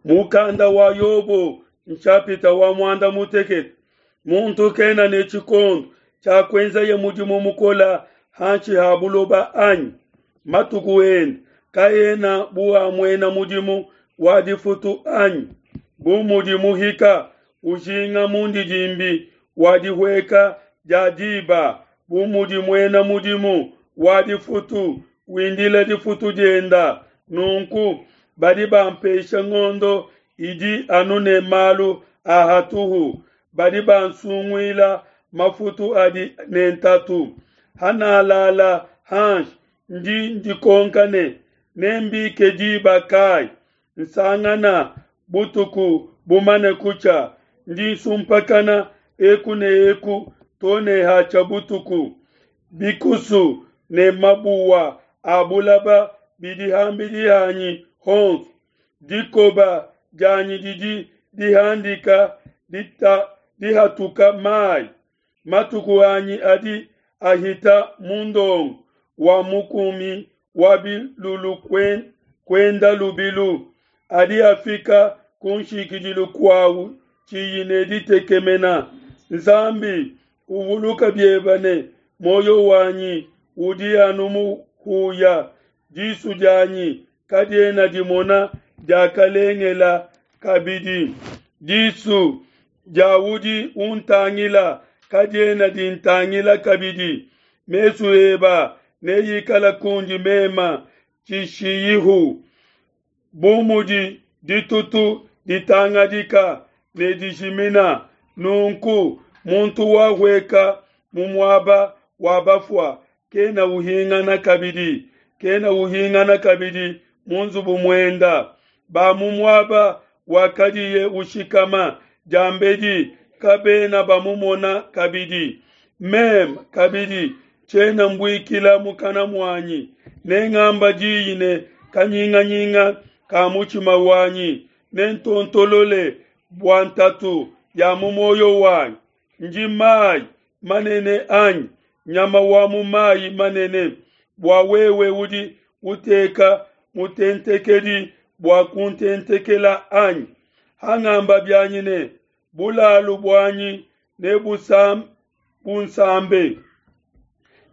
Mukanda wa Yobo nshapita wa muanda mutekete. Muntu kena ne tshikondo tshia kuenzaye mudimu mukole hanshi ha buloba anyi? Matuku ende kaena bu a muena mudimu wa difutu anyi? Bu mudi muhika ujinga mundidimbi wa dihueka dia diba, bu mudi muena mudimu wa difutu windila difutu dienda, nunku badi bampesha ngondo idi anu ne malu a hatuhu, badi bansunguila mafutu adi ne ntatu. Hanalala hanshi, ndi ndikonka ne, Nembike diba kayi? Nsangana butuku bumane kutshia, ndi nsumpakana eku ne eku to ne hatshia butuku. Bikusu ne mabuwa a bulaba bidi ham'bidi hanyi honso. Dikoba dianyi didi dihandika dihatuka mai. Matuku anyi adi ahita mu ndongo wa mukumi wa bilulu kuenda lubilu, adi afika ku nshikidilu kuau tshiyi ne ditekemena. Nzambi, uvuluka biebe ne muoyo wanyi udi anu muhuya, disu dianyi kadiena dimona diakalengela kabidi. Disu dia udi untangila kadiena dintangila kabidi. Mesu eba neikala kundi mema tshishiyihu. Bu mudi ditutu ditangadika ne dijimina, nunku muntu wahueka mu muaba wa bafua kena uhingana kabidi, kena uhingana kabidi mu nzubu muenda. Ba mu muaba wakadiye ushikama diambedi kabena bamumona kabidi. Meme kabidi tshiena mbuikila mukana muanyi, nengamba diyi ne kanyinganyinga ka mutshima wanyi, nentontolole bua ntatu ya mu muoyo wanyi. Ndi mai manene anyi nyama wa mu mai manene, bua wewe udi uteka mutentekedi bua kuntentekela anyi? Hangamba bianyi ne, Bulalu buanyi nebunsambe,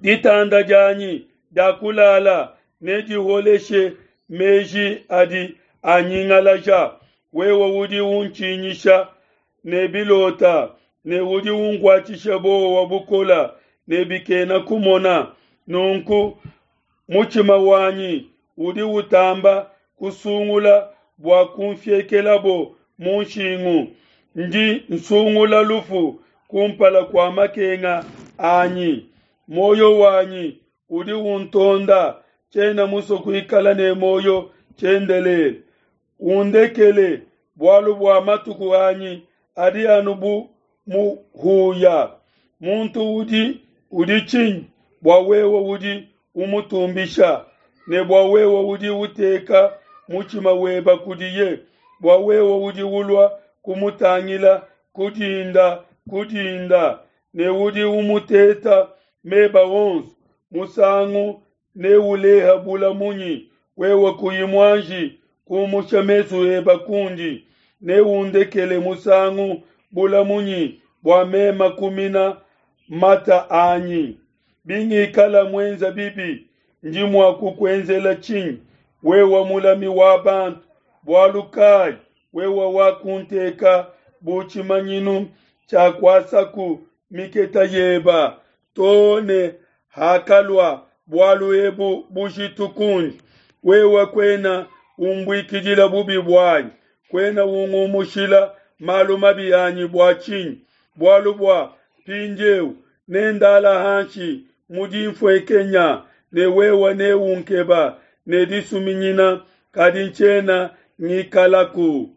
ditanda dianyi dia kulala nediholeshe meji adi anyingalaja. Wewe udi untshinyisha ne bilota, ne udi unkuatshisha buowa bukole ne bikena kumona. Nunku mutshima wanyi udi utamba kusungula bua kunfiekelabo mu nshingu. Ndi nsungula lufu kumpala kua makenga anyi. Muoyo wanyi udi untonda, tshiena musue kuikala ne muoyo tshiendelele. Undekele, bualu bua matuku anyi adi anu bu muhuya. Muntu udi udi tshinyi bua wewe udi umutumbisha, ne bua wewe udi uteka mutshima weba kudiye, bua wewe udi ulua kumutangila ku dinda ku dinda, ne udi umuteta meba onso? Musangu neuleha bula munyi wewe kuyi muanji kumusha mesu eba kundi? Neundekele musangu bula munyi bua mema kumina mata anyi? Bingikala muenza bibi, ndi mua kukuenzela tshinyi, wewe mulami wa bantu? Bualu kayi wewe wakunteka bu tshimanyinu tshia kuasaku miketa yeba, to ne hakalua bualu ebu bujitu kundi? Wewe kuena umbuikidila bubi buanyi, kuena ungumushila malu mabi anyi bua tshinyi? Bualu bua mpindieu nendala hanshi mu dinfuenkenya, ne wewe neunkeba ne disuminyina, kadi ntshiena ngikalaku.